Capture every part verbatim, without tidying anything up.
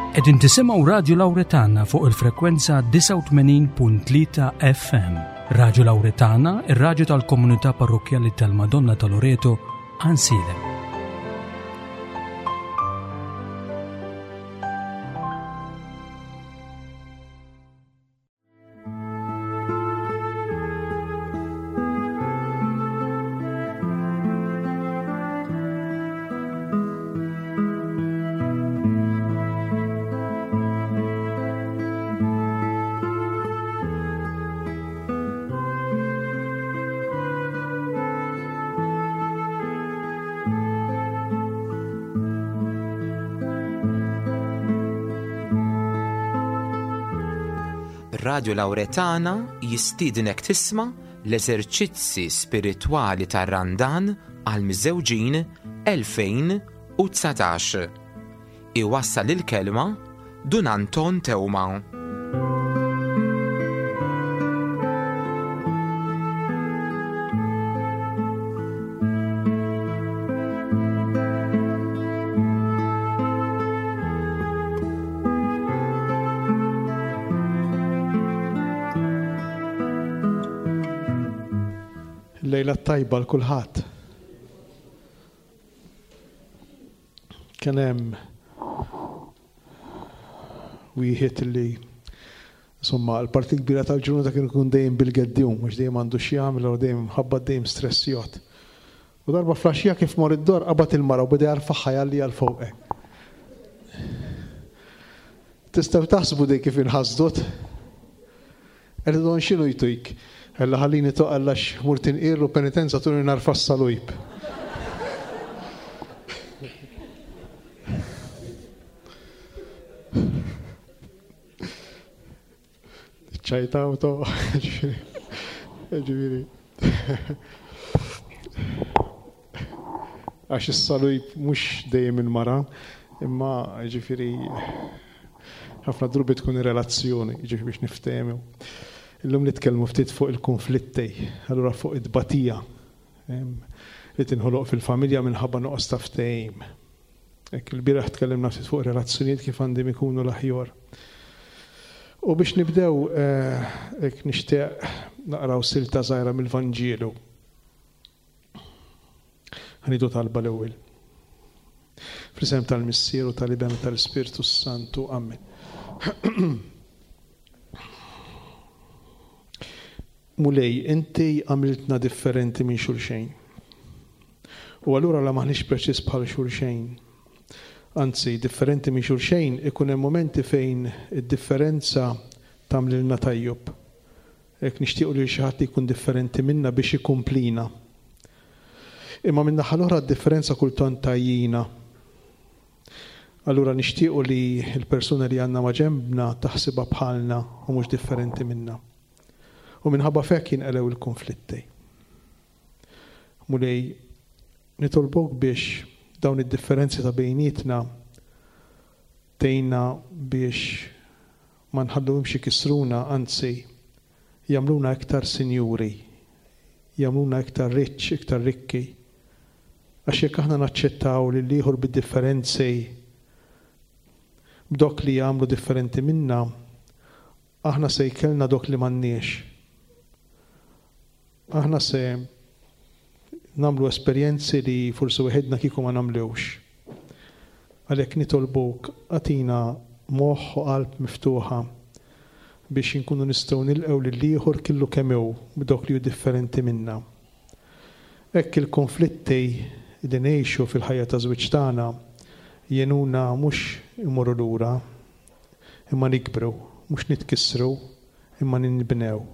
Qegħdin tisimgħu Radju Lawretana fuq il-frekwenza disgħa u tmenin punt tlieta F M. Radju Lawretana, ir-radju tal-Komunità Parrokkjali tal-Madonna ta' Loreto, Għajnsielem. Radio Lawretana jistiednek tisma' l-eżerċizzi spiritwali tar-Randan għal miżżewġin elfejn u dsatax. Iwassal il-kelma Dun Anton Teuma. Lejla tajba l-kulħadd. Kien hemm wieħed li insomma l-parti kbira tal-ġurnata kien ikun dejjem bil-geddjum, mhux dejjem għandu xi jagħmel u dejjem ħabba dejjem stressjot. U darba flaxija kif mor id-dor qabad il-mara u beda jarfaħħa jalli għal fuqek. Tistgħu taħsbu dej kif inħasdut? Qed don x'inhu jtuk? Ella ħallini toqgħod għax mur tinqir u penitenza tuni narfa s-salujb. ċajta u to. Ġifieri. Għax is-salujb mhux dejjem il-mara, imma ġifieri ħafna drubi tkun ir-relazzjoni, ġifieri biex niftehmu. Illum nitkellmu ftit fuq il-konflitti, allura fuq it-tbatija, em, li tinħoloq fil-familja minħabba nuqqas ta' ftehim. Hekk il-bieraħ tkellimna ftit fuq relazzjonijiet kif għandhom ikunu l-aħjar. U biex nibdew, eh, hekk nixtieq naqraw silta żgħira mill-Vanġelu. Ħanidu talba l-ewwel. Fl-isem tal-Missier u tal-Iben u tal-Ispirtu Santu. Amen. Mulej, inti għamiltna differenti minn xulxejn. U allura la maħniex preċiż bħal xulxejn. Anzi, differenti minn xulxejn, ikun hemm momenti fejn id-differenza tagħmlilna tajjeb. Hekk nixtiequ li xi ħadd jkun differenti minna biex ikumplina. Imma minn naħa l-oħra d-differenza kultant tajjina. Allura nixtiequ li l-persuna li għandna ma' ġenbna taħsibha bħalna u mhux differenti minna. U minħabba f'hekk jinqelew il-konflitti. Mulej, nitolbok biex dawn id-differenzi ta' bejnietna tgħinna biex ma nħalluhomx ikissruna, anzi jagħmluna iktar sinjuri, jagħmluna iktar rich, iktar rikki. Għax jekk aħna naċċettaw lil ieħor bid-differenzi b'dok li jagħmlu differenti minna, aħna se jkellna dok li m'għandniex. Aħna se nagħmlu esperjenzi li forsi weħidna kieku ma nagħmlux. Għalhekk nitolbuk agħtina moħħ u qalb miftuħa biex inkunu nistgħu nilqgħu lil ieħor killu kemm hu b'dok li hu differenti minna. Hekk il-konflitti li ngħixu fil-ħajja ta' żwieġ tagħna jenuna mhux imorru lura, imma nikbru, mhux nitkissru, imma ninbnew.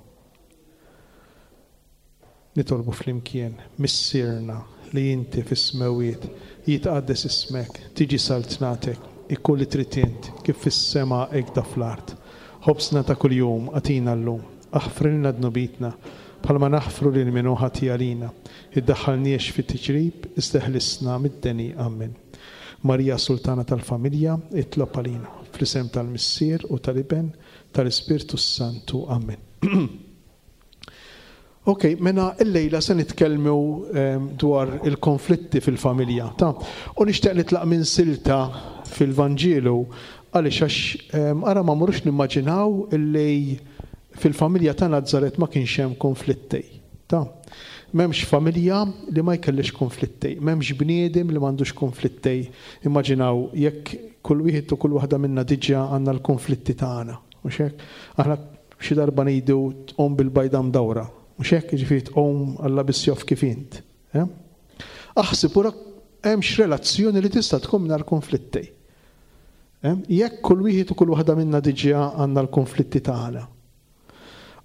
Nitolbu flimkien, Missierna li inti fis-smewwiet, jitqaddes ismek, tiġi saltnatek, ikun li trid int, kif fis-sema hekk da fl-art. Ħobżna ta' kuljum agħtina llum, aħfrilna dnubitna, bħalma naħfru lil min hu ħati għalina. Iddaħħalniex fit-tiġrib, iżda ħlisna mid-deni. Amen. Marija Sultana tal-Familja, itlob għalina, fl-isem tal-Missier u tal-Iben, tal-Ispirtu Santu. Amen. Ok, mena illejla se nitkellmu, ehm, dwar il-konflitti fil-familja. Ta' u nixtieq nitlaq minn silta fil-Vanġelu Għaliex għax ara ma mmorrux nimmaġinaw illi fil-familja ta' Nazzaret ma kienx hemm konflitti. Ta' m'hemmx familja li ma jkellix konflitti, m'hemmx bniedem li m'għandux konflitti. Immaġinaw jekk kull wieħed u kull waħda minna diġà għandna l-konflitti tagħna. Mhux hekk? Aħna xi darba ngħidu tqum bil-bajda mdawra. Mhux hekk, jiġifieri tqum Alla biss jaf kif int. Aħseb ura hemmx relazzjoni li tista' tkun mingħajr konflitti. Jekk kull wieħed u kull waħda minna diġà għandna l-konflitti tagħna.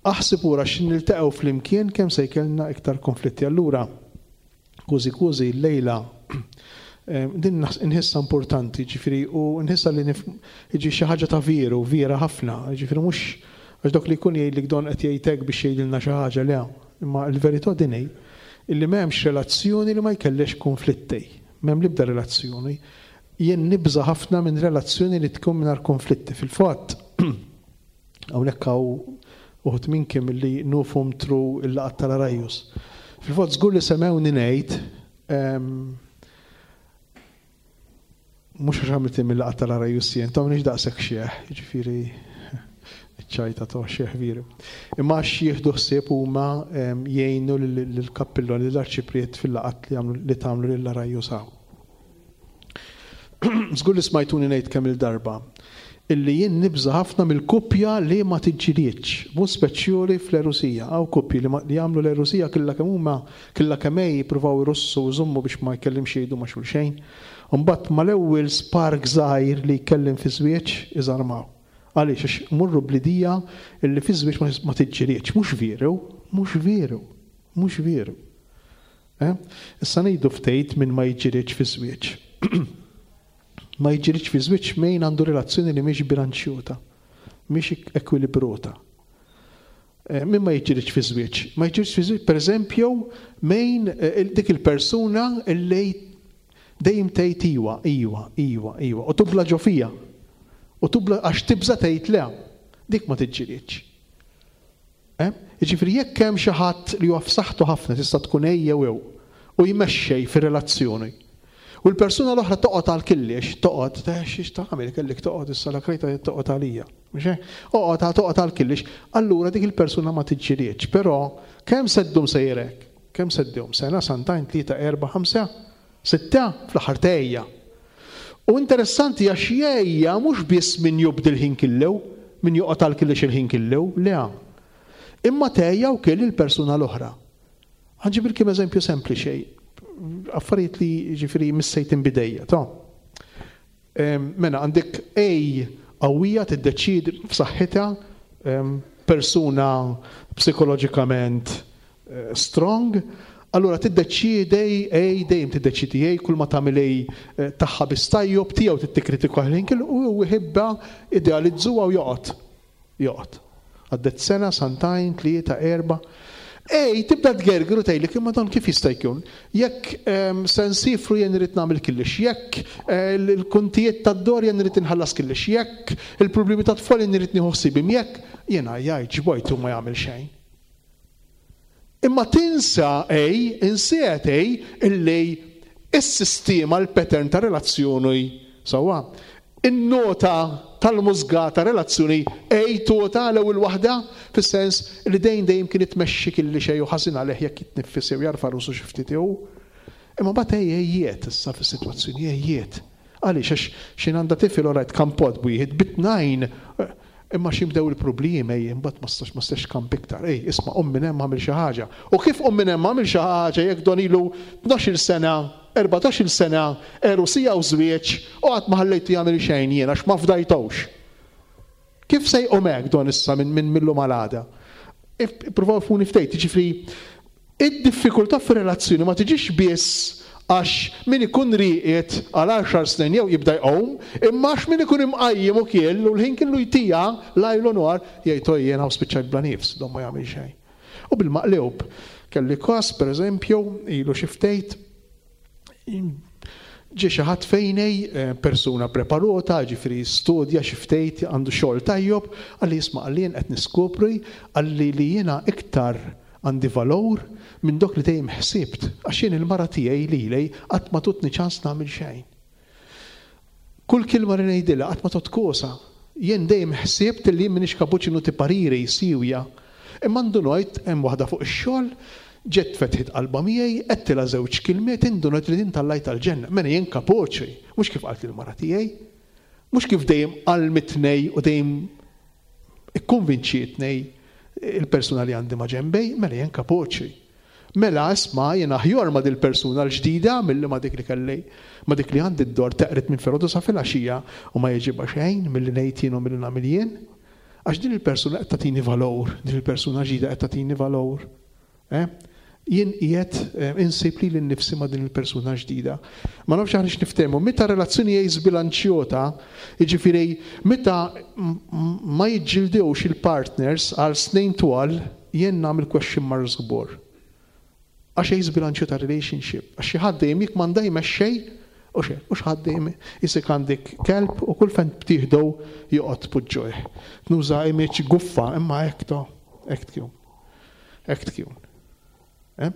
Aħseb ura x'in niltaqgħu flimkien kemm se jkollna iktar konflitti. Allura, kważi kważi llejla din nħissa importanti, ġifieri, u nħissa li jiġi xi ħaġa ta' veru, vera ħafna, ġifieri mhux għax dok li jkun jgħidlek don qed jgħidlek biex jgħidilna xi ħaġa, le, imma l-verità din hi illi m'hemmx relazzjoni li ma jkellix konflitti, m'hemm l-ebda relazzjoni. Jien nibża' ħafna minn relazzjoni li tkun mingħajr konflitti. Fil-fatt, hawnhekk hawn uħud minnkom li nufhom through il-laqgħat tal-Arajjus. Fil-fatt żgur li semgħuni ngħid, mhux għax għamilt mill-laqgħat tal-Arajjus jien, ta' m'iniex daqshekk xieħ, jiġifieri ċajta ta' xieħ veru. Imma għax jieħdu ħsieb huma jgħinu lill-kappillon, lill-arċipriet fil-laqgħat li jagħmlu, li tagħmlu lill-Arajjus hawn. Żgur li smajtuni ngħid kemm il-darba illi jien nibża' ħafna mill-kuppja li ma tiġġilietx, mhux speċjali fl-erusija. Hawn kuppji li ma-, li jagħmlu l-erusija killa kemm huma, killa kemm hi jippruvaw irussu u jżommu biex ma jkellimx jgħidu ma' xulxejn. U mbagħad mal-ewwel spark żgħir li jkellim fi żwieġ iżarmaw. Għaliex? Għax murru bl-idea illi fi żwieġ ma-, ma tiġġilietx. Mhux veru, mhux veru, mhux veru. Eh? Issa ngħidu ftejt minn ma jiġġilietx fi żwieġ. Ma jiġġilietx fi żwieġ min għandu relazzjoni li mhix bilanċjuta, mhix ekwilibruta. Eh, min ma jiġġilietx fi żwieġ? Ma jiġġilietx fi żwieġ, pereżempju, min, eh, il-, dik il-persuna li dejjem tgħid iwa, iwa, iwa, iwa, u tubla ġo fija. U tubla għax tibża' tgħid le. Dik ma tiġġilietx. Eh? Jiġifieri jekk hemm xi ħadd li huwa f'saħħtu ħafna tista' tkun ejja jew jew u jmexxej fir-relazzjoni. U l-persuna l-oħra toqgħod għal killiex, toqgħod, ta' xiex tagħmel, kellek toqgħod issa la krejta toqgħod għalija. Mhux hekk? Oqgħod toqgħod għal killiex, allura dik il-persuna ma tiġġilietx, però kemm se ddum sejrek? Kemm se ddum? Sena, santajn, tlieta, erba', ħamsa, sitta, fl-aħħar tgħejja. U interessanti għax jgħejja mhux biss min jubdi l-ħin killew, min joqgħod għal killiex il-ħin killew, le. Imma tgħejja wkoll il-persuna l-oħra. Ħanġibilkom eżempju sempliċi, affarijiet li ġifieri missejt inbidejja, ta' Em, mela għandek A qawwija tiddeċiedi f'saħħitha, em, persuna psikoloġikament, eh, strong, allura tiddeċiedi A, dejjem tiddeċiedi A, kull ma tagħmel A, eh, tagħha bistajjob tiegħu tikkritika ħin kellu u jħibba idealizzuha u joqgħod. Joqgħod. Għaddet sena, santajn, tlieta, erba'. Ej, tibda tgergru tgħidlek imma dan kif jista' jkun? Jekk, em, se nsifru jien irid nagħmel killix, jekk, eh, l-kuntijiet tad-dor jien irid inħallas killix, jekk il-problemi tat-tfal jien irid nieħu ħsiebhom, jekk jiena jgħid ġbojtu ma jagħmel xejn. Imma tinsa ej, insiet ej, illi is-sistema, l-pattern ta' relazzjoni sewwa. In-nota tal-mużga ta' relazzjoni ej tota l-ewwel waħda, fis-sens li dejjem dejjem kien itmexxi kelli xejn u ħażin għalih jekk jitnifis jew jarfa' rusu xi ftit jew. Imma mbagħad ej ejjiet issa fis-sitwazzjoni ejjiet. Għaliex għax xi għandha tifel orajt kampot bwieħed bitnajn, imma xi bdew il-problemi ej, imbagħad ma stax, ma stax kamp iktar. Ej, isma' qum minn hemm għamil xi ħaġa. U kif qum minn hemm għamil xi ħaġa jekk don ilu tnax-il sena, erbatax-il sena, erusija u żwieġ, u qatt ma ħallejtu jagħmel xejn jien għax ma fdajtux. Kif se jqum hekk don issa minn, minn millum għal għada? Ippruvaw funi ftejt, jiġifieri id-diffikultà fir-relazzjoni ma tiġix biss għax min ikun riqiet għal għaxar snin jew jibda jqum, imma għax min ikun imqajjem u kiel u l-ħin kellu jtija lajl u nhar jgħid oj jien hawn spiċċajt bla nifs, don ma jagħmel xejn. U bil-maqlub, kelli każ pereżempju, ilu xi ftejt, ġie xi ħadd fejnej, eh, persuna preparata, ġifieri studja xi ftejt, għandu xogħol tajjob, qalli isma' qalli jien qed niskopri, qalli li jiena iktar għandi valur minn dok li dejjem ħsibt, għax jien il-mara tiegħi lili qatt ma tutni ċans nagħmel xejn. Kull kelma li ngħidilha qatt ma totkosa. Jien dejjem ħsibt li jien m'iniex kapaċi nagħti pariri siewja. Imma ndunajt hemm waħda fuq ix-xogħol, ġet fetħet qalba miegħi, għedtilha żewġ kelmiet, indunajt li din tallajt tal-ġenna. Mela jien kapaċi, mhux kif qalt il-mara tiegħi, mhux kif dejjem għallmitni u dejjem ikkonvinċietni il-persuna li għandi ma' ġenbi, mela jien kapaċi. Mela isma' jien aħjar ma' dil-persuna l-ġdida milli ma' dik li kelli, ma' dik li għandi d-dor teqret minn filgħodu sa filgħaxija u ma jogħġobha xejn milli ngħid jien u milli nagħmel jien. Għax din il-persuna qed tagħtini valur, din il-persuna ġdida qed tagħtini valur. Eh? Jien qiegħed eh, insib lili nnifsi ma' din il-persuna ġdida. Ma nafx aħniex niftehmu, meta relazzjoni hija żbilanċjota, jiġifieri meta ma jiġġildewx il-partners għal snin twal, jien nagħmel question marks kbar. Għax hija żbilanċjota relationship, għax xi ħadd dejjem jikmanda jmexxej, u xe, u xi ħadd dejjem isik għandek kelb u kull fejn btieħdu joqgħod puġġojh. Nuża image guffa imma hekk to, hekk tkun. Hekk tkun. Eh?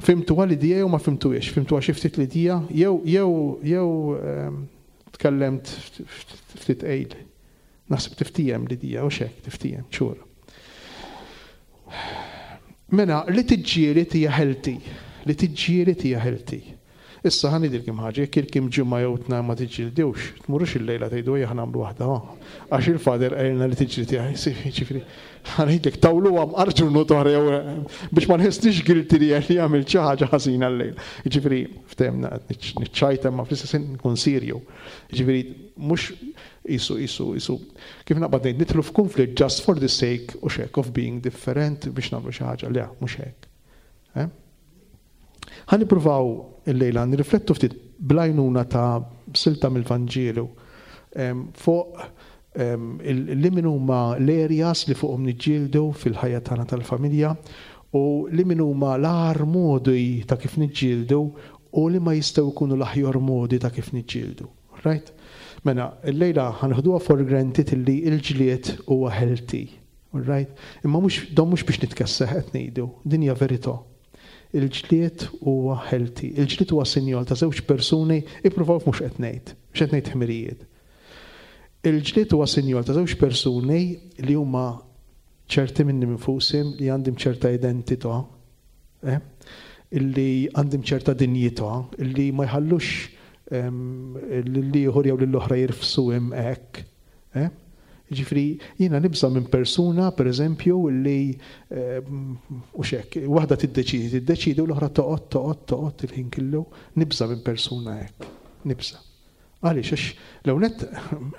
Fhimtu l-idea jew ma fhimtuhiex, fhimtu xi ftit l-idea, jew jew jew ehm, tkellemt ftit qejl. Naħseb tiftiehem l-idea u xek, tiftiehem, ċur. Mela, li tiġġieled hija healthy, li tiġġieled hija healthy. Issa ħa ngħidilkom ħaġa, jekk ilkom ġimgħa jew tnejn ma tiġġieldux, tmurux il-lejla tgħidu ejja ħa nagħmlu waħda, għax il-father qalilna li tiġġieled hija, ġifieri, ħa ngħidlek tawlu għam arġu oħra jew biex ma nħossnix guilty li li għamilt xi ħaġa ħażina l-lejl. Ġifieri, ftehemna niċċajta ma fl-istess nkun serju. Ġifieri, mhux isu, isu, isu, kif naqbad ngħid nidħlu f'konflitt just for the sake u xek of being different biex nagħmlu xi ħaġa, le, mhux hekk. Eh? Ħa nippruvaw il-lejla nirriflettu ftit bl-għajnuna ta' silta mill-Vanġelu fuq li min huma l-areas li fuqhom niġġieldu fil-ħajja tagħna tal-familja u li min huma l-agħar modi ta' kif niġġieldu u li ma jistgħu jkunu l-aħjar modi ta' kif niġġieldu. Right? Mela, il-lejla ħa neħduha for granted illi il-ġlied huwa healthy. Right? Imma mhux don mhux biex nitkesseħ qed ngħidu, din hija verità. Il-ġlied huwa healthy. Il-ġlied huwa sinjal ta' żewġ persuni ippruvaw mhux qed ngħid, mhux qed ngħid ħmerijiet. Il-ġlied huwa sinjal ta' żewġ persuni li huma ċerti minni minfusim li għandhom ċerta identità, eh? illi għandhom ċerta dinjità, illi ma jħallux lill-ieħor jew lill-oħra jirfsu hekk. Eh? Ġifieri, jiena nibża minn persuna, per eżempju, li u xek, waħda tiddeċidi, tiddeċidi u l-oħra toqgħod, toqgħod, toqgħod il-ħin kollu, nibża minn persuna hekk. Nibża. Għaliex, għax l-ewwelnett,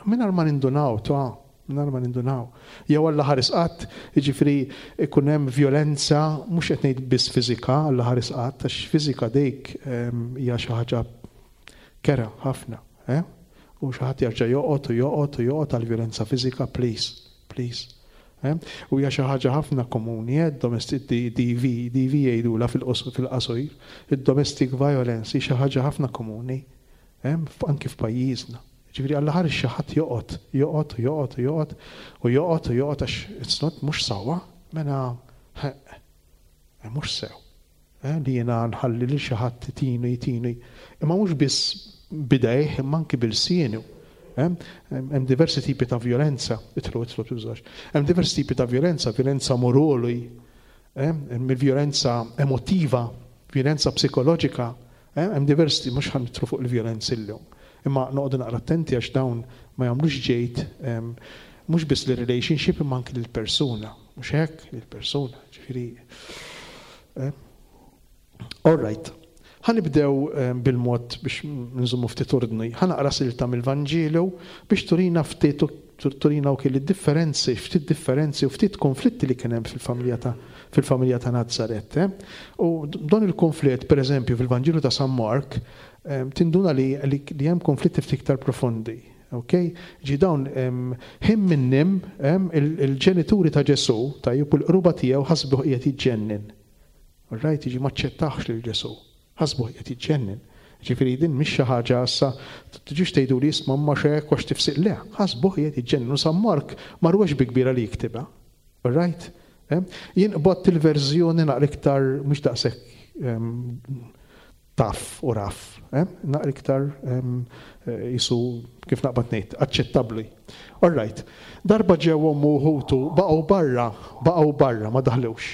mingħajr ma nindunaw, ta' mingħajr ma nindunaw. Jew Alla ħares qatt, jiġifieri ikun hemm violenza, mhux qed ngħid biss fiżika, Alla ħares qatt, għax fiżika dik hija xi ħaġa kerha ħafna, eh? U xi ħadd jerġa' joqgħod u joqgħod u joqgħod għal violenza fiżika, please, please. Eh? U hija xi ħaġa ħafna komuni, eh? Domestic D V, D V jgħidula fil-qasir, il-domestic violence hi xi ħaġa ħafna komuni, eh? Anki f'pajjiżna. Ġifieri Alla ħares xi ħadd joqgħod, joqgħod, joqgħod, joqgħod u joqgħod u joqgħod għax it's not mhux sewwa, mela mhux sew. Eh? Li jiena nħalli lil xi ħadd jtini, jtini. Imma mhux biss b'idejh, imma anki b'ilsienu. Hemm diversi tipi ta' violenza, itlu, itlu, tużax. Hemm diversi tipi ta' violenza, violenza morali, hemm violenza emotiva, violenza psikoloġika, hemm diversi, mhux ħa nidħlu fuq il-violenza illum. Imma noqogħdu naqra attenti għax dawn ma jagħmlux ġejt mhux biss l-relationship imma anki lill-persuna, mhux hekk lill-persuna, ġifieri. All right. Ħa nibdew bil-mod biex nżommu ftit ordni. Ħa naqra silta mill-Vanġelu biex turina ftit turina u kelli differenzi, ftit differenzi u ftit konflitti li kien hemm fil-familja ta' fil-familja ta' Nazzaret. Eh? U don il-konflitt, per eżempju, fil-Vanġelu ta' San Mark, tinduna li, li, li hemm konflitti ftit iktar profondi. Ok? Ġi dawn ħin minnim il-ġenituri ta' Ġesu, tajjeb, u l-qruba tiegħu ħasbuh qiegħed jiġġennen. Right, jiġi maċċettax lil Ġesu. Ħasbuh qiegħed jiġġennen. Ġifieri din mhix xi ħaġa issa tiġix tgħidu li isma' ma xek għax tifsiq le, ħasbuh qiegħed jiġġennen. U San Mark ma rwex bi kbira li jiktibha. Right? Jien qbadt il-verżjoni naqra iktar mhux daqshekk Tough u rough. Eh? Naqra iktar jisu kif naqbad ngħid, aċċettabbli. All right. Darba ġew ommu u ħutu baqgħu barra, baqgħu barra, ma daħlux.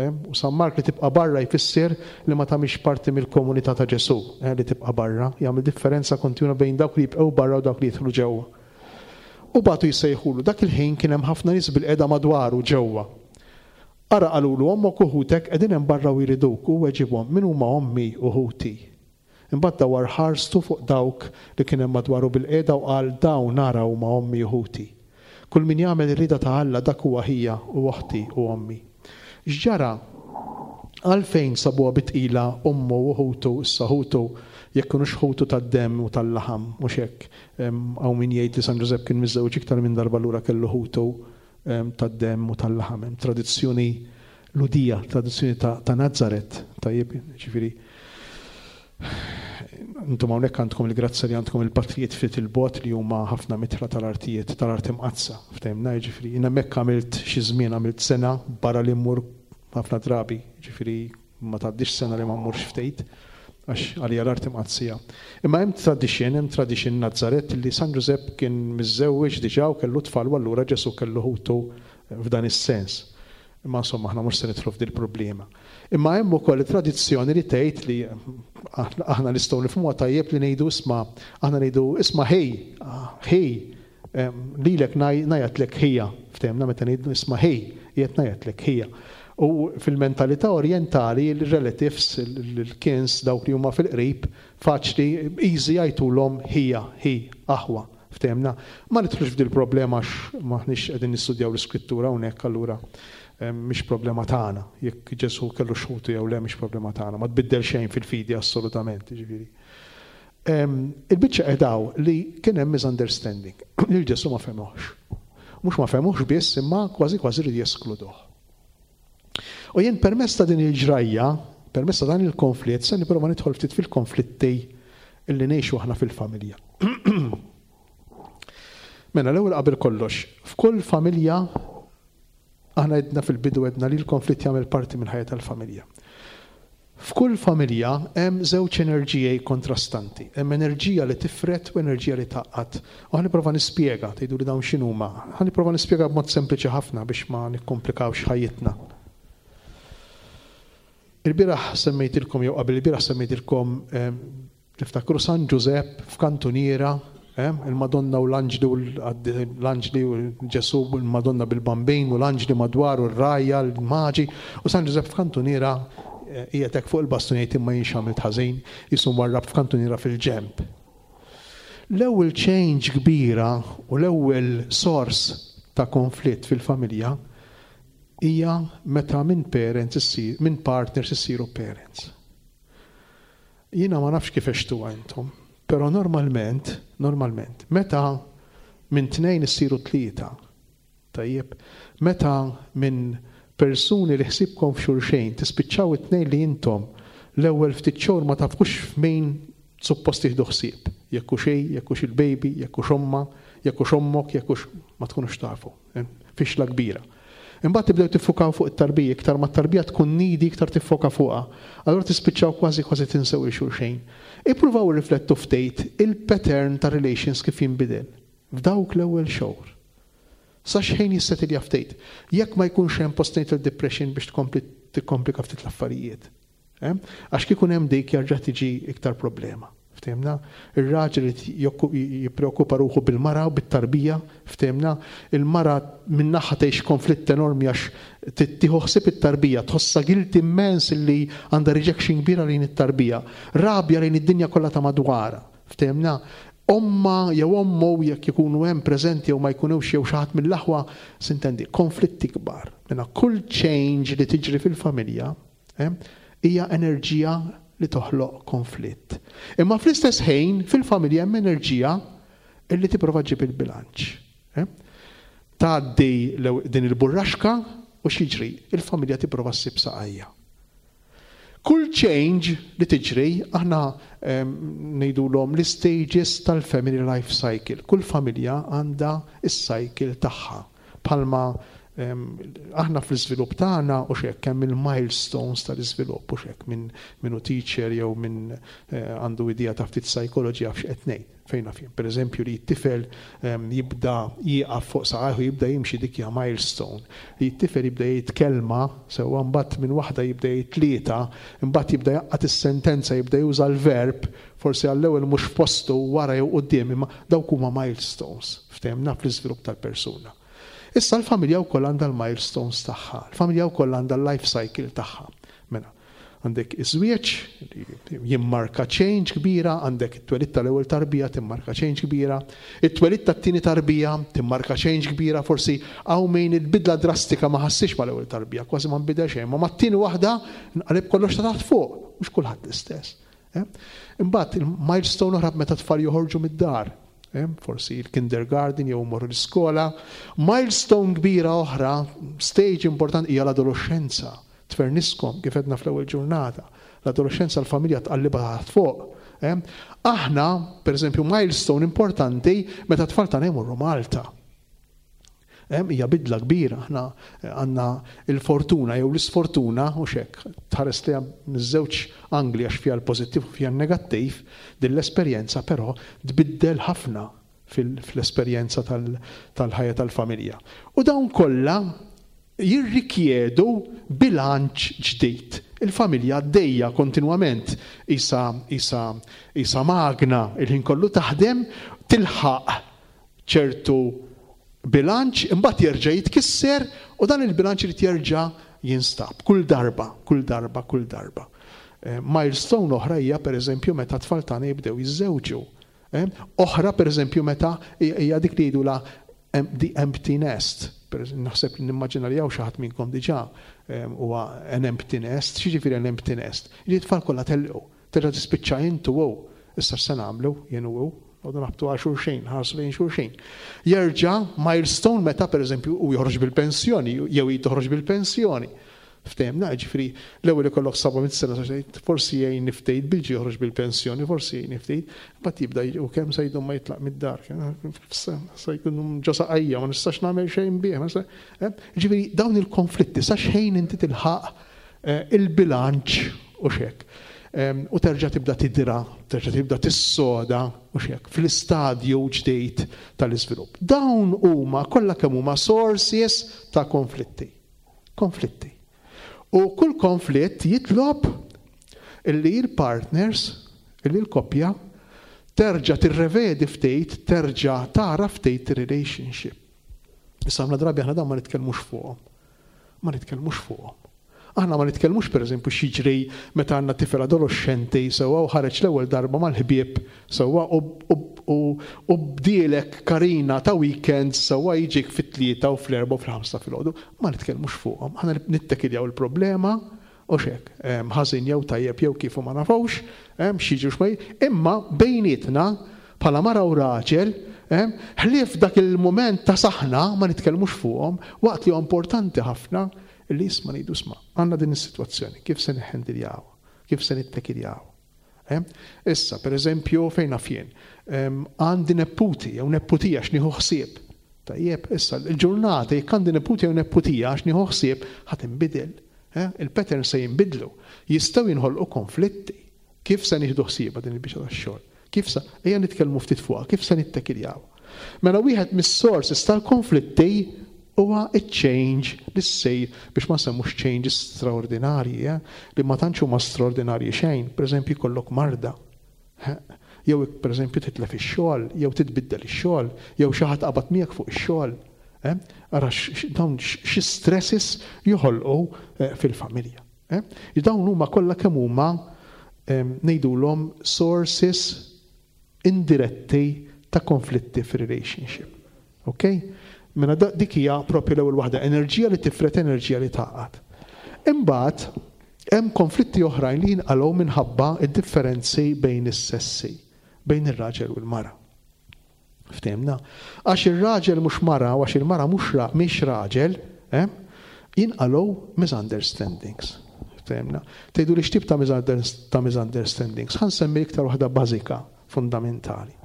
U San Mark li tibqa' barra jfisser li ma tagħmilx parti mill-komunità ta' Ġesù, eh, li tibqa' barra, jagħmel differenza kontinwa bejn dawk li jibqgħu barra u dawk li jidħlu ġewwa. U bagħtu jsejħulu, dak il-ħin kien hemm ħafna nies bilqiegħda madwaru ġewwa. Ara qalulu ommok u ħutek qegħdin hemm barra u jriduk u weġibhom min huma ommi u ħuti. Imbagħad dawar ħarstu fuq dawk li kien hemm madwaru bilqiegħda u qal dawn nara huma ommi u ħuti. Kull min jagħmel ir-rieda ta' Alla dak huwa ħija u oħti u ommi. X'ġara? Għalfejn sabuha bi tqila ommu u ħutu, issa ħutu jekk kinux ħutu tad-demm u tal-laħam, mhux hekk. Hawn min jgħid li San Ġużepp kien miżżewġ iktar minn darba lura kellu ħutu tad-demm u tal-laħam. Hemm tradizzjoni Lhudija, tradizzjoni ta', ta' Nazaret, tajjeb, ġifieri. Intom hawnhekk għandkom il-grazzja li għandkom il-patrijiet ftit il-bogħod li huma ħafna mitla tal-artijiet, tal-art imqaddsa, ftehimna, ġifieri. Jien hemmhekk għamilt xi żmien, għamilt sena barra li mmur ħafna drabi, ġifieri ma tgħaddix sena li ma mmurx ftit, għax għalija l-art imqadsija. Imma hemm tradition, hemm tradition Nazaret li San Ġużepp kien miżżewweġ diġà u kellu tfal u allura Ġesù kellu ħutu f'dan is-sens. Imma insomma aħna mhux se nidħlu f'dil problema. Imma hemm ukoll tradizzjoni li tgħid li aħna nistgħu nifhmuha tajjeb li ngħidu isma' aħna ngħidu isma' ħej, ħej, lilek ngħajjatlek ħija, ftehimna meta ngħidu isma' ħej, qiegħed ngħajjatlek ħija. U fil-mentalità orientali, il-relatives, il-kins, dawk li huma fil-qrib, faċli, easy jgħidulhom ħija, ħi, aħwa, ftehimna. Ma nidħlux f'dil problema għax maħniex qegħdin nistudjaw l-iskrittura hawnhekk allura mhix problema tagħna. Jekk Ġesù kellu xħutu jew le mhix problema tagħna, ma tbiddel xejn fil-fidi assolutament, jiġifieri. Il-biċċa qedaw li kien hemm misunderstanding, lil Ġesù ma fehmuhx. Mhux ma fehmuhx biss, imma kważi kważi rridu jeskluduh. U jien permezz ta' din il-ġrajja, permezz ta' dan il-konflitt, se nipprova nidħol ftit fil-konflitti illi ngħixu aħna fil-familja. Mela l-ewwel qabel kollox, f'kull familja aħna għedna fil-bidu għedna li l-konflitt jagħmel parti minn ħajja tal-familja. F'kull familja hemm żewġ enerġiji kontrastanti. Hemm enerġija li tifret u enerġija li tgħaqqad. U ħa nipprova nispjega, tgħidu li dawn x'inhuma. Ħa nipprova nispjega b'mod sempliċi ħafna biex ma nikkomplikawx ħajjitna. Il-bieraħ semmejtilkom jew qabel il-bieraħ semmejtilkom tiftakru San Ġużepp f'kantuniera, il-Madonna u l-Anġli u l-Anġli u Ġesù u l-Madonna bil-Bambin u l-Anġli madwar u r-rajja, l-maġi, u San Ġużepp f'kantuniera qiegħed hekk fuq il-bastun jgħid imma jien x'għamilt ħażin, jisu warrab f'kantuniera fil-ġemp. L-ewwel change kbira u l-ewwel sors ta' konflitt fil-familja hija meta minn parents issir, minn partners issiru parents. Jiena ma nafx kif għextuha intom, però normalment, normalment, meta minn tnejn issiru tlieta, tajjeb, meta minn persuni li ħsibkom f'xulxejn tispiċċaw it-tnejn li intom l-ewwel ftit xhur ma tafux f'min suppost tieħdu ħsieb, jekk hux xejn, jekk hux il-baby, jekk hux omma, jekk hux ommok, jekk hux ma tkunux tafu, fixla kbira. Imbagħad tibdew tiffukaw fuq it-tarbija, iktar ma t-tarbija tkun nidi, iktar tiffoka fuqha. Allura tispiċċaw kważi kważi tinsew il xulxejn. Ippruvaw riflettu ftit il-pattern ta' relations kif jinbidel f'dawk l-ewwel xhur. Sa xejn jissetilja ftit. Jekk ma jkunx hemm postnatal depression biex tkompli tikkomplika ftit l-affarijiet. Għax kieku hemm dik jarġa' tiġi iktar problema. Ftehimna? Ir-raġel jippreokkupa ruħu bil-mara u bit-tarbija, ftehimna? Il-mara min-naħa tgħix konflitt enormi għax tieħu ħsieb it-tarbija, tħossha guilt immens li għandha rejection kbira lejn it-tarbija, rabja lejn id-dinja kollha ta' madwarha. Ftehimna? Omma jew ommu jekk ikunu hemm preżenti jew ma jkunux jew xi ħadd mill-aħwa, sintendi, konflitti kbar. Mela kull change li tiġri fil-familja, hija enerġija li toħloq konflitt. Imma fl-istess ħin fil-familja hemm enerġija illi tipprova ġġib il-bilanċ. Tgħaddi din il-burraxka u x'jiġri? Il-familja tipprova ssib saqajja. Kull change li tiġri, aħna ngħidulhom l-stages tal-family life cycle. Kull familja għandha is-cycle tagħha. Palma Aħna fl-iżvilupp tagħna u xek hemm il-milestones tal-iżvilupp u xek minn min hu teacher jew minn għandu idea ta' ftit psychology għaf x'qed ngħid. Fejn naf jien. Pereżempju li t-tifel jibda jieqaf fuq saqajh u jibda jimxi, dik hija milestone. Li t-tifel jibda jgħid kelma, sewwa, mbagħad minn waħda jibda jgħid tlieta, imbagħad jibda jgħaqqad is-sentenza, jibda juża l-verb, forsi għall-ewwel mhux f'postu, wara jew quddiem, imma dawk huma milestones ftehemna fl-iżvilupp tal-persuna. Issa l-familja wkoll għandha l-milestones tagħha, l-familja wkoll għandha l-life cycle tagħha. Mela, għandek iż-żwieġ li jimmarka change kbira, għandek it-twelid tal-ewwel tarbija timmarka change kbira, it-twelid tat-tieni tarbija timmarka change kbira, forsi hawn min il-bidla drastika ma ħassix mal-ewwel tarbija, kważi ma nbidel xejn, ma mat-tieni waħda nqaleb kollox ta' taħt fuq, mhux kulħadd l-istess. Imbagħad il-milestone oħra meta tfal joħorġu mid-dar, forsi il-kindergarten jew morru l-iskola. Milestone kbira oħra, stage importanti, hija l-adolescenza. Tferniskom kif għedna fl-ewwel ġurnata. L-adolescenza l-familja tqallibha taħt fuq. Aħna, per eżempju, milestone importanti meta tfal tagħna jmorru Malta. Hija bidla kbira, aħna għandna il-fortuna jew l-isfortuna u xek, tħares li miż-żewġ angli għax fiha l-pożittiv u fiha n-negattiv, din l-esperjenza però tbiddel ħafna fl-esperjenza tal-ħajja tal-familja. U dawn kollha jirrikjedu bilanċ ġdid. Il-familja għaddejja kontinwament isa, isa, isa magna, il-ħin kollu taħdem, tilħaq ċertu bilanċ, imbagħad jerġa' jitkisser u dan il-bilanċ irid jerġa' jinstab kull darba, kull darba, kull darba. Milestone oħra hija pereżempju meta tfal tagħna jibdew jiżżewġu. Oħra pereżempju meta hija dik li jgħidula the empty nest. Naħseb li nimmaġina li hawn xi ħadd minnkom diġà huwa an empty nest. X'jiġifieri an empty nest? Li t-tfal kollha telqu, terġa' tispiċċa intu hu. Issa x'se nagħmlu jien u hu? Għodu nabtu għal xulxin, ħarsu lejn xulxin. Jerġa' milestone meta pereżempju u joħroġ bil-pensjoni, jew hi toħroġ bil-pensjoni. Ftehemna, ġifieri l-ewwel ikollok seba' mitt sena, forsi jgħin niftejt bilġi joħroġ bil-pensjoni, forsi jgħin niftejt, mbagħad jibda u kemm se jdum ma jitlaq mid-dar, se jkun ġo saqajja, ma nistax nagħmel xejn bih. Ġifieri dawn il-konflitti sa xejn inti tilħaq il-bilanċ u xek. U terġa' tibda tidra, terġa' tibda tissoda u xek fl-istadju ġdid tal-iżvilupp. Dawn huma kollha kemm huma sources ta' konflitti. Konflitti. U kull konflitt jitlob illi il-partners, illi l-koppja, terġa' tirrevedi ftit, terġa' tara ftit relationship. Issa ħafna drabi aħna dawn ma nitkellmux fuqhom. Ma nitkellmux fuqhom. Aħna ma nitkellmux pereżempju x'jiġri meta għandna tifel adolescenti sewwa u ħareġ l-ewwel darba mal-ħbieb sewwa u bdielek karina ta' weekend sewwa jiġik fit-tlieta u fl-erba' u fil-ħamsa filgħodu. Ma nitkellmux fuqhom. Aħna nittekiljaw il-problema u xek, ħażin jew tajjeb jew kif u ma nafux, x'jiġri x'ma jiġri, imma bejnietna bħala mara u raġel, ħlief dak il-mument ta' saħna ma nitkellmux fuqhom waqt li huwa importanti ħafna li isma' ngħidu isma' għandna din is-sitwazzjoni, kif se nħendiljaw, kif se nittekiljaw. Issa, per eżempju, fejn naf jien, għandi neputi jew neputija x'nieħu ħsieb. Tajjeb, issa l-ġurnata jekk għandi neputi jew neputija x'nieħu ħsieb ħa tinbidel. Il-pattern se jinbidlu. Jistgħu jinħolqu konflitti. Kif se nieħdu ħsiebha din il-biċċa tax-xogħol? Kif sa ejja nitkellmu ftit fuqha, kif se nittekiljaw? Mela wieħed mis-sources tal-konflitti huwa iċ-change li ssejr biex ma semmux changes straordinarji, eh? Li ma tantx huma straordinarji xejn, pereżempju jkollok marda. Jew pereżempju titlef ix-xogħol, jew titbiddel ix-xogħol, jew xi ħadd qabad miegħek fuq ix-xogħol. Eh? Ara dawn xi stresses joħolqu eh, fil-familja. Eh? Dawn huma kollha kemm huma ngħidulhom sources indiretti ta' konflitti fir-relationship. Okay? Mela dik hija propju l-ewwel waħda, enerġija li tifret, enerġija li taqgħad. Imbagħad hemm konflitti oħrajn li jinqalgħu minħabba d-differenzi bejn is-sessi, bejn ir-raġel u l-mara. Ftehimna? Għax ir-raġel mhux mara u għax il-mara mhux mhix raġel, eh? Jinqalgħu misunderstandings. Ftehimna? Tgħidu li x'tip ta' misunderstandings? Ħa nsemmi iktar waħda bażika, fundamentali.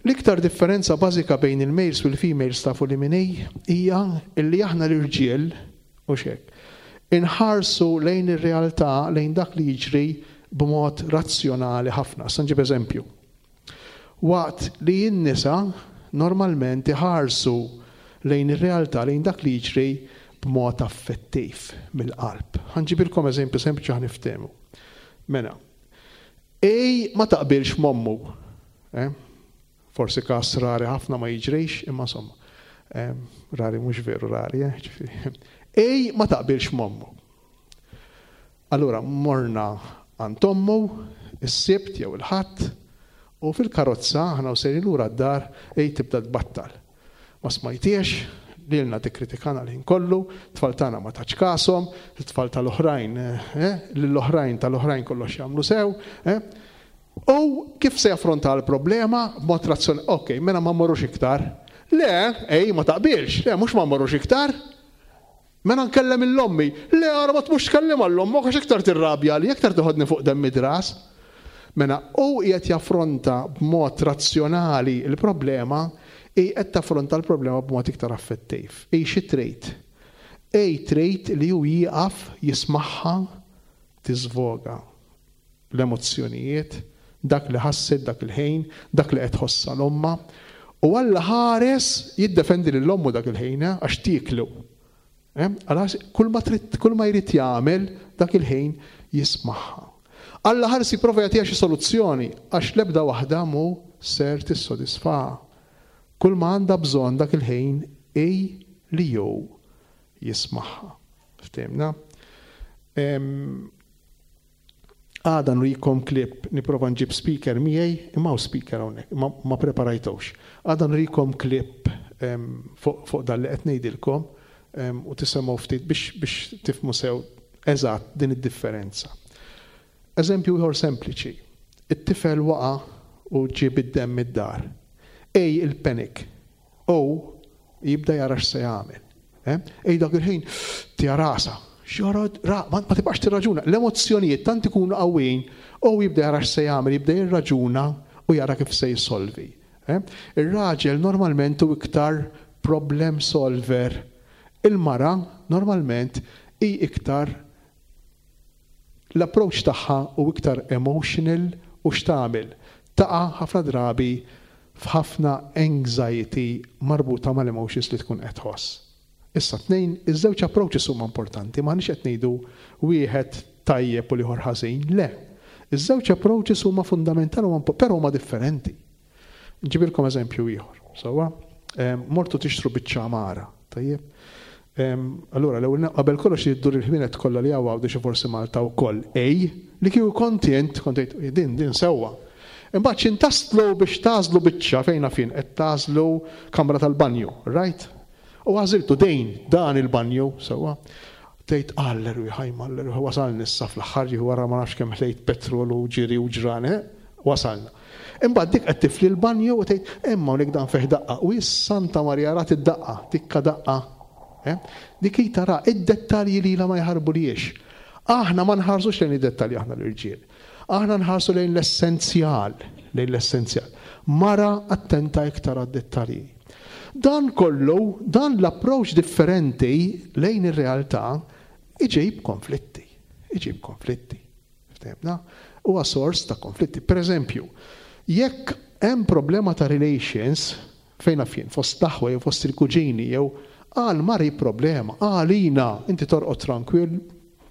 L-iktar differenza bażika bejn il-males u l-females tafu li min hi hija illi aħna l-irġiel u xek. Inħarsu lejn ir-realtà, lejn dak li jiġri b'mod razzjonali ħafna. Issa nġib eżempju. Waqt li n-nisa normalment iħarsu lejn ir-realtà, lejn dak li jiġri b'mod affettiv mill-qalb. Ħa nġibilkom eżempju sempliċi ħa niftehmu. Mela, ej ma taqbilx m'ommu. Eh? Forsi kas rari ħafna ma jiġrix, imma insomma. Eh, rari mhux veru rari, eh? ġifieri. Ej ma taqbilx m'ommu. Allura morna għand ommu, is-Sibt jew il-Ħadd, u fil-karozza aħna u sejrin lura d-dar ej tibda tbattal. Ma smajtiex, lilna tikkritikana l-ħin kollu, tfal tagħna ma tatx kashom, it-tfal tal-oħrajn, eh, lill-oħrajn tal-oħrajn kollox jagħmlu sew, eh. U kif se jaffronta l-problema b'mod razzjonali, ok, mela ma mmorrux iktar. Le, ej, ma taqbilx, le, mhux ma mmorrux iktar. Mela nkellem lil ommi, le, ara ma tmux tkellem lil ommok għax iktar tirrabja li iktar toħodni fuq demm id-ras. Mela, u qiegħed jaffronta b'mod razzjonali l-problema, i qed taffronta l-problema b'mod iktar affettiv. Ej xi trid? Ej trid li hu jieqaf jismagħha tiżvoga l-emozzjonijiet, dak li ħasset dak il-ħin, dak li qed tħossha l-omma, u Alla ħares jiddefendi lil ommu dak il-ħin eh, għax tieklu. Eh? Għala kull ma trid, kull ma jrid jagħmel dak il-ħin jismagħha. Alla ħares jipprova jagħtiha xi soluzzjoni għax l-ebda waħda mhu ser tissodisfaha. Kull ma għandha bżonn dak il-ħin ej li jew jismagħha. Ftehimna? Em, Għada nurikom klip, nipprova nġib speaker miegħi, imma hawn speaker hawnhekk, ma, ma preparajtux. Għada nurikom klip em, fuq fuq dan li qed ngħidilkom em, u tisimgħu ftit biex, biex tifhmu sew eżatt din id-differenza. Eżempju ieħor sempliċi. It-tifel waqa' u ġib id-demm id-dar. Ej il-panic. U jibda jara x'se jagħmel. Eh? Ej dak il-ħin tija rasa. X'jara, ra, ma, ma tibqax tirraġuna. L-emozzjonijiet tant ikunu qawwin u jibda jara x'se jagħmel, jibda jirraġuna u jara kif se jsolvi. Eh? Ir-raġel normalment hu iktar problem solver. Il-mara normalment hi iktar l-approach tagħha u iktar emotional u x'tagħmel. Taqa' ħafna drabi f'ħafna anxiety marbuta mal-emotions li tkun qed tħoss. Issa tnejn, iż-żewġ approaches huma importanti, m'aħniex qed ngħidu wieħed tajjeb u l-ieħor ħażin, le. Iż-żewġ approaches huma fundamentali huma però huma differenti. Nġibilkom eżempju ieħor. Sewwa, mortu tixtru biċċa għamara, tajjeb. Allura, l-ewwel qabel kollox jiddur il-ħwienet kollha li hawn Għawdex forsi Malta wkoll. Ej, li kieku kont int, kont tgħid, din din sewwa. Imbagħad x'in taslu biex tagħżlu biċċa fejn fin qed tagħżlu kamra tal-banju, right? U għażiltu dejn dan il-banju, sewwa. Tgħid alleru ħajma, alleru wasalna issa fl-aħħar ġieħu wara ma nafx kemm ħlejt petrol u ġiri u ġrane, wasalna. Imbagħad dik qed tifli l-banju u tgħid imma hawnhekk dan fih daqqa u is Santa Marija rat id-daqqa, tikka daqqa. Eh? Dik hi tara id-dettalji li la ma jħarbu liex. Aħna ma nħarsux lejn id-dettalji aħna l-irġiel. Aħna nħarsu lejn l-essenzjal, lejn l-essenzjal. Mara attenta iktar għad-dettalji. Dan kollu, dan l-approach differenti lejn ir-realtà iġib konflitti. Iġib konflitti. Ftehimna? Huwa sors ta' konflitti. Per eżempju, jekk hemm problema ta' relations fejn jien, fost l-aħwa jew fost il-kuġini jew għal mari problema, għalina, inti torqod tranquil,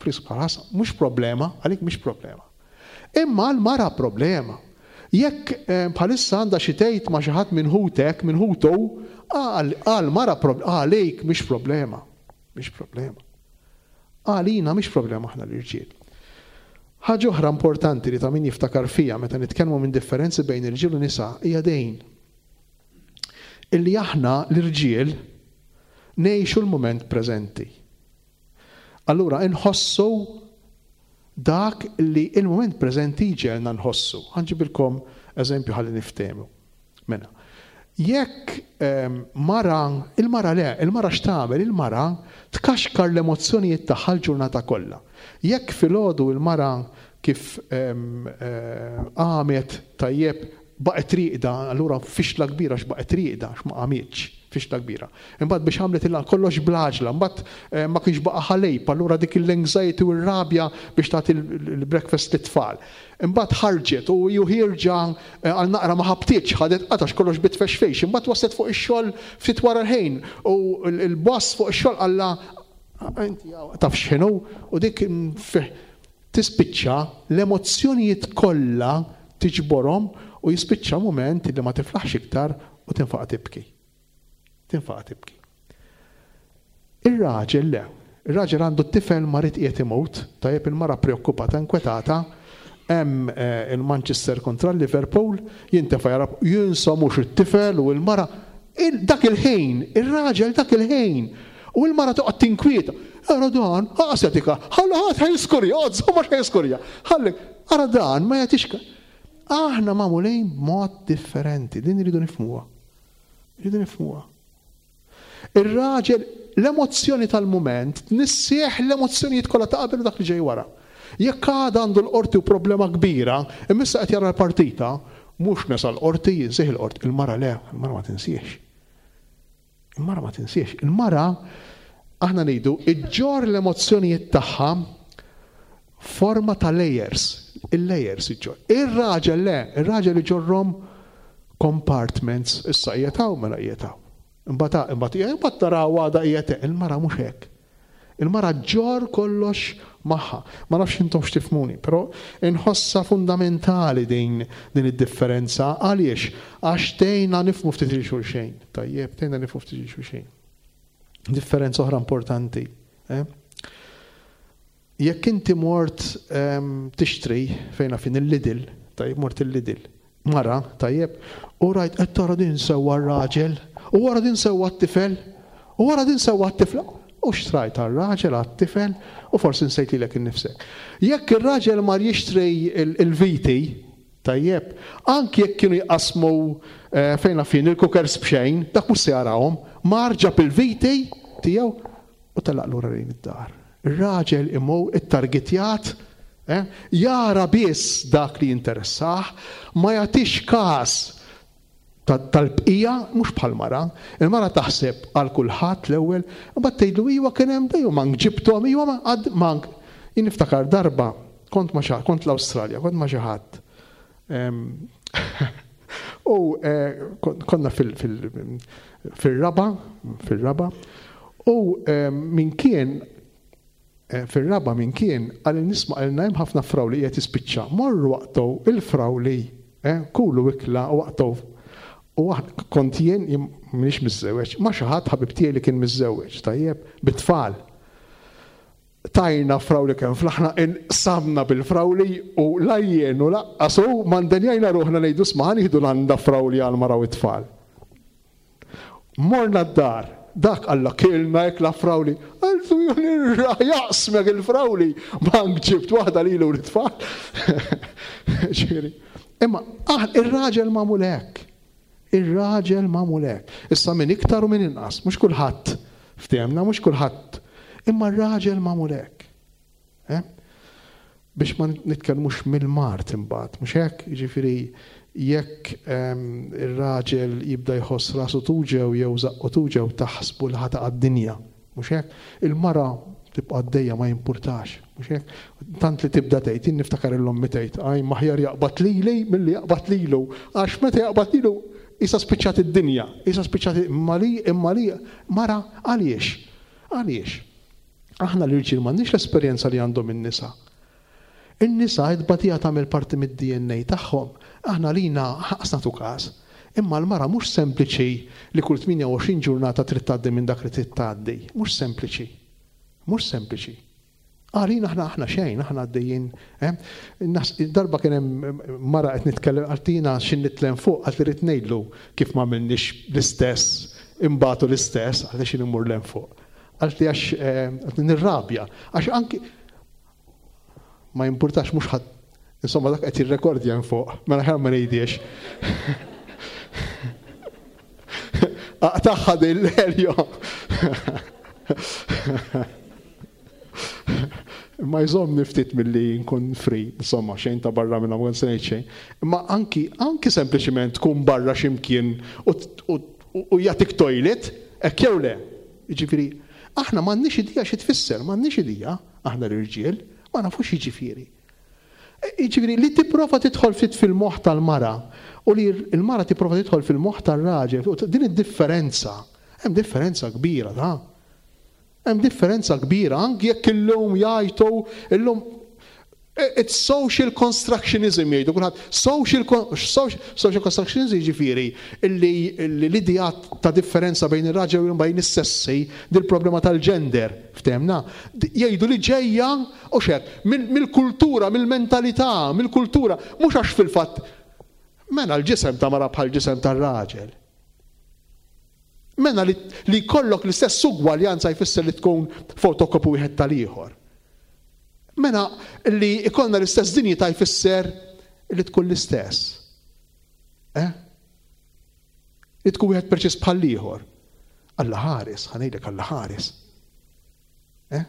frisk bħal mhux problema, għalik mhix problema. Imma għal mara problema. Jekk eh, bħalissa għandha xi tgħid ma' xi ħadd minn ħutek, minn ħutu, għal mara għalik mhix problema. Mhix problema. Għalina mhix problema aħna l-irġiel. Ħaġa oħra importanti li ta' min jiftakar fija meta nitkellmu minn differenzi bejn irġiel u nisa hija dejn. Illi aħna l-irġiel ngħixu l-mument preżenti. Allura inħossu dak li il-mument preżenti ġelna nħossu. Ħa nġibilkom eżempju ħalli niftehmu. Mela, jekk ehm, mara, il-mara le, il-mara x'tagħmel? Il-mara tkaxkar l-emozzjonijiet tagħha l-ġurnata kollha. Jekk filgħodu il-mara kif ehm, eh, għamet tajjeb Baqgħet rieqda, allura fixla kbira x'baqgħet rieqda, x'ma qamitx, fixla kbira. Imbagħad biex għamlet il kollox bl-għaġla, imbagħad eh, ma kienx baqa' ħalib, allura dik l-anxiety u r-rabja biex tagħti l-breakfast lit-tfal. Imbagħad ħarġet u ju ħierġa eh, għal naqra ma ħabtitx, ħadet qatax kollox bitfexfejx, imbagħad waslet fuq ix-xogħol ftit wara l-ħin u l-boss fuq ix-xogħol qalla inti taf x'inhu u dik tispiċċa l-emozzjonijiet kollha tiġborhom u jispiċċa moment li ma tiflaħx iktar u tinfaqa tibki. Tinfaqa tibki. Ir-raġel le. Ir-raġel għandu t-tifel marid qiegħed imut, tajjeb il-mara preokkupata, inkwetata, hemm eh, il-Manchester kontra l-Liverpool, jintefa' jara jinsa mhux it-tifel u l-mara dak il-ħin, ir-raġel dak il-ħin, u l-mara toqgħod tinkwieta. Ara dan, aqsetika, ħalla ħadd ħajskurja, żomma ħajskurja. Ħalli, ara dan ma jagħtix. Aħna magħmulin b'mod differenti, din iridu nifhmuha. Iridu nifhmuha. Ir-raġel l-emozzjoni tal-mument tnissieħ l-emozzjonijiet kollha ta' qabel u dak li ġej wara. Jekk għada għandu l-qorti u problema kbira, imma qed jara l-partita, mhux nesa l-qorti, jinsih il-qorti. Il-mara le, il-mara ma tinsiex. Il-mara ma tinsiex. Il-mara, aħna ngħidu, iġġor l-emozzjonijiet tagħha forma ta' layers. Il-layers iġġor. Ir-raġel le, ir-raġel iġorrom compartments, issa qiegħed mela qiegħed Imbagħad imbagħad imbagħad taraw għada qiegħed il-mara mhux hekk. Il-mara ġġor kollox magħha. Ma nafx intom x'tifhmuni, però inħossa fundamentali din din id-differenza. Għaliex? Għax tgħinna nifhmu ftit lil xulxejn. Tajjeb, tgħinna nifhmu ftit lil xulxejn. Differenza oħra importanti. Eh? Jekk inti mort ehm, tixtri fejna fin il-Lidl, tajjeb mort il-Lidl, mara, tajjeb, u rajt qed tara din sewwa r-raġel, u wara din sewwa t-tifel, u wara din sewwa t-tifla, u xtrajt għar-raġel għat-tifel, u forsi nsejt lilek innifsek. Jekk ir-raġel mar jixtri il-viti, tajjeb, anki jekk kienu jqasmu eh, fejna fin il-cookers b'xejn, dak mhux se jarahom, mar ġab il-viti tiegħu u telaq lura lejn id-dar. Ir-raġel imur ittargetjat, eh, jara biss dak li jinteressah, ma jagħtix każ tal-bqija mhux bħal mara. Il-mara taħseb għal kulħadd l-ewwel, imbagħad tgħidlu iwa kien hemm dejjem mank ġibthom, iwa ma għad mank. Jien niftakar darba kont ma kont l-Awstralja, kont ma xi ħadd. U eh, konna fil-raba, fil-raba, u min kien eh, fil-raba min kien għal nisma' għalna hemm ħafna frawli qiegħed jispiċċa. Morru waqtgħu il-frawli, eh, kulu ikla u waqtgħu. U kont jien, m'iniex miżżewweġ, ma xi ħadd ħabib tiegħi li kien miżżewweġ, tajjeb, bit-tfal. Tajna frawli kemm flaħna inqsamna bil-frawli u la jien u lanqas hu ma ndenjajna ruħna ngħidu sma' nieħdu landa frawli għal mara u t-tfal. Morna d-dar, dak alla kilna ikla frawli. Għaltu jaqsmek il-frawli, mank ġibt waħda lilu l-tfal. Ġifieri. Imma ir-raġel magħmul hekk. Ir-raġel magħmul hekk. Issa min iktar u min inqas, mhux kulħadd ftehemna, mhux kulħadd. Imma r-raġel magħmul hekk. Eh? Biex ma nitkellmux mill-mard imbagħad, mhux hekk, jiġifieri jekk ehm, ir-raġel jibda jħoss rasu tuġew jew żaqqu tuġew taħsbu li ħa għad-dinja, mhux hekk? Il-mara tibqa' għaddejja ma jimpurtax, mhux hekk? Tant li tibda tgħid, jien niftakar il-ommi tgħid, aj maħjar jaqbad lili milli jaqbad lilu, għax meta jaqbad lilu issa spiċċat id-dinja, issa spiċċat imma li imma li mara għaliex? Għaliex? Aħna l-irġiel m'għandniex l-esperjenza li għandhom in-nisa. In-nisa id-batija tagħmel parti mid-D N A tagħhom. Aħna lina ħaqas nagħtu każ. Imma l-mara mhux sempliċi li kull tmienja u għoxrin ġurnata trid tgħaddi minn dak li trid tgħaddi. Mhux sempliċi. Mhux sempliċi. Għalina aħna aħna xejn, aħna għaddejjin. Eh? Nas, darba kien hemm mara qed nitkellem għaltina x'in nitlem fuq, għalt irid ngħidlu kif ma għamilniex l-istess, imbagħtu l-istess, għaliex x'in immur lem fuq. Għalti għax, eh, għalti nirrabja, għax anki ma jimpurtax mhux ħadd, insomma dak qed jirrekordja hemm fuq, mela ħer ma ngħidiex. Aqtaħħa din l-Elio. Imma jżommni ftit milli nkun free, insomma, xejn ta' barra minn hawn se ngħid xejn. Imma anki anki sempliċiment tkun barra x'imkien u, u, u jagħtik toilet, hekk jew le. Jiġifieri, aħna m'għandniex idea xi tfisser, m'għandniex idea, aħna l-irġiel, ma nafux jiġifieri. Jiġifieri li tipprova tidħol ftit fil-moħħ tal-mara u li l-mara tipprova tidħol fil-moħħ tar-raġel, u din id-differenza, hemm differenza kbira ta'. Hemm differenza kbira anki jekk illum jgħidu illum it's social constructionism jgħidu kulħadd. Social social, social constructionism jiġifieri illi l-idea ta' differenza bejn ir-raġel u bejn is-sessi, dil-problema tal-gender, ftehmna, jgħidu li ġejja u xek mill-kultura, mill-mentalità, mill-kultura, mhux għax fil-fatt mela l-ġisem ta' mara bħal ġisem tar-raġel. Mela li, li jkollok l-istess ugwaljanza jfisser li tkun fotokopi wieħed tal-ieħor. Mela li jkollna l-istess dinjità jfisser li tkun l-istess. Eh? Li tkun wieħed preċiż bħal ieħor. Alla ħares, ħa ngħidlek Alla ħares. Eh?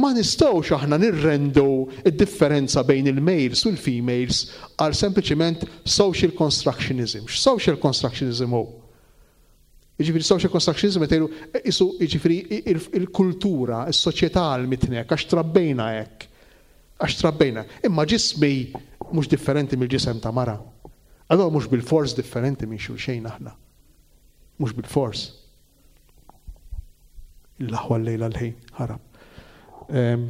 Ma nistgħux aħna nirrendu id-differenza bejn il-males u l-females għal sempliċiment social constructionism. X'social constructionism hu? Jiġifieri social constructionism qed jgħidu isu jiġifieri il-kultura, is-soċjetà għallmitnek għax trabbejna hekk. Għax trabbejna. Imma ġismi mhux differenti mill-ġisem ta' mara. Allora mhux bil-fors differenti minn xulxejn aħna. Mhux bil-fors. Il-aħwa l-lejla l-ħin ħarab.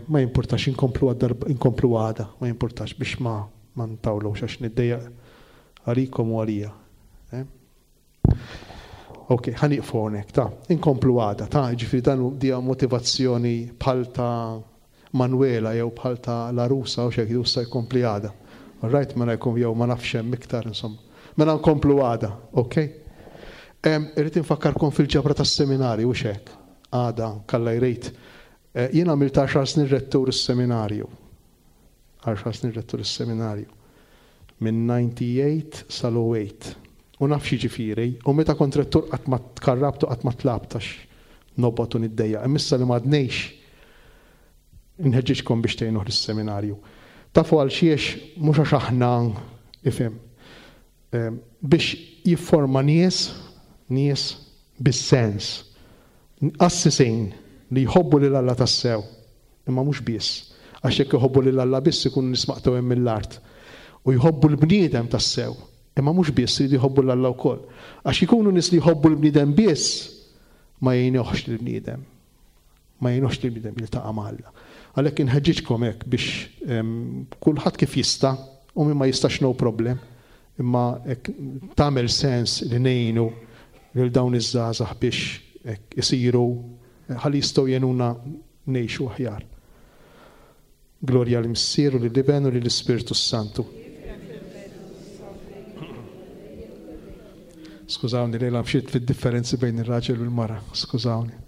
Ma jimpurtax inkomplu għad-darba, inkomplu għada, ma jimpurtax biex ma, ma ntawlux għax niddejjaq għalikom u għalija. Ok, ħa nieqfu hawnhekk, ta' inkomplu għada, ta' ġifieri dan dija motivazzjoni bħal ta' Manuela jew bħal ta' Larusa u xejn issa jkompli għada. All right, mela jkun jew ma nafx hemm iktar insomma. Mela nkomplu għada, ok? Irrid infakkarkom fil-ġabra tas-seminarju u xek. Għada, kalla jrejt. Jien għamilt għaxar snin rettur is-seminarju. Għaxar snin rettur is-seminarju. Minn ninety-eight sal-oh eight. U naf x'jiġifieri, u meta kont rettur qatt ma tkarrabtu, qatt ma tlabtax nobgħod u niddejjaq. Imma issa li m'għadnejx inħeġġiġkom biex tgħinuh lis-seminarju. Tafu għal xiex mhux għax aħna ifhem. Biex jifforma nies, nies bis-sens, qassisin li jħobbu lil Alla tassew, imma mhux biss. Għax jekk jħobbu lil Alla biss ikunu nies maqtgħu hemm mill-art. U jħobbu l-bniedem tassew, imma mhux biss, iridu jħobbu lil Alla wkoll. Għax ikunu nies li jħobbu l-bniedem biss, ma jgħinuhx lill-bniedem. Ma jgħinuhx lill-bniedem jiltaqa' ma' Alla. Għalhekk inħeġġiġkom hekk biex, em, kulħadd kif jista', u min ma jistax no problem, imma hekk tagħmel sens li ngħinu lil dawn iż-żgħażagħ biex hekk isiru ħalli jistgħu jgħinuna ngħixu aħjar. Glorja lill-Missier u lill-Iben u lill-Ispirtu s-Santu. Skużawni, lejla mxiet fid-differenzi bejn ir-raġel u l-mara, skużawni.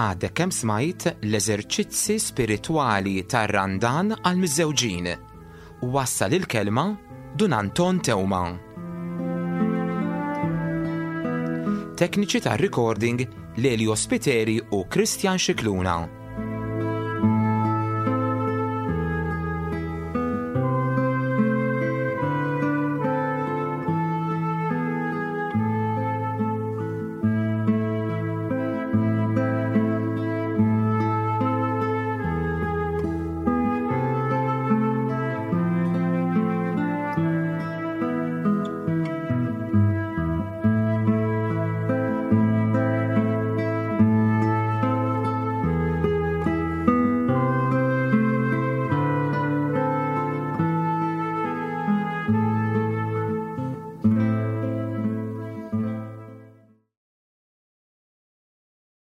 Għadek kemm smajt l-eżerċizzi spiritwali tar-Randan għal-miżżewġin. Wassal il-kelma Dun Anton Teuma. Tekniċi tar-recording Lelio Spiteri u Christian Scicluna.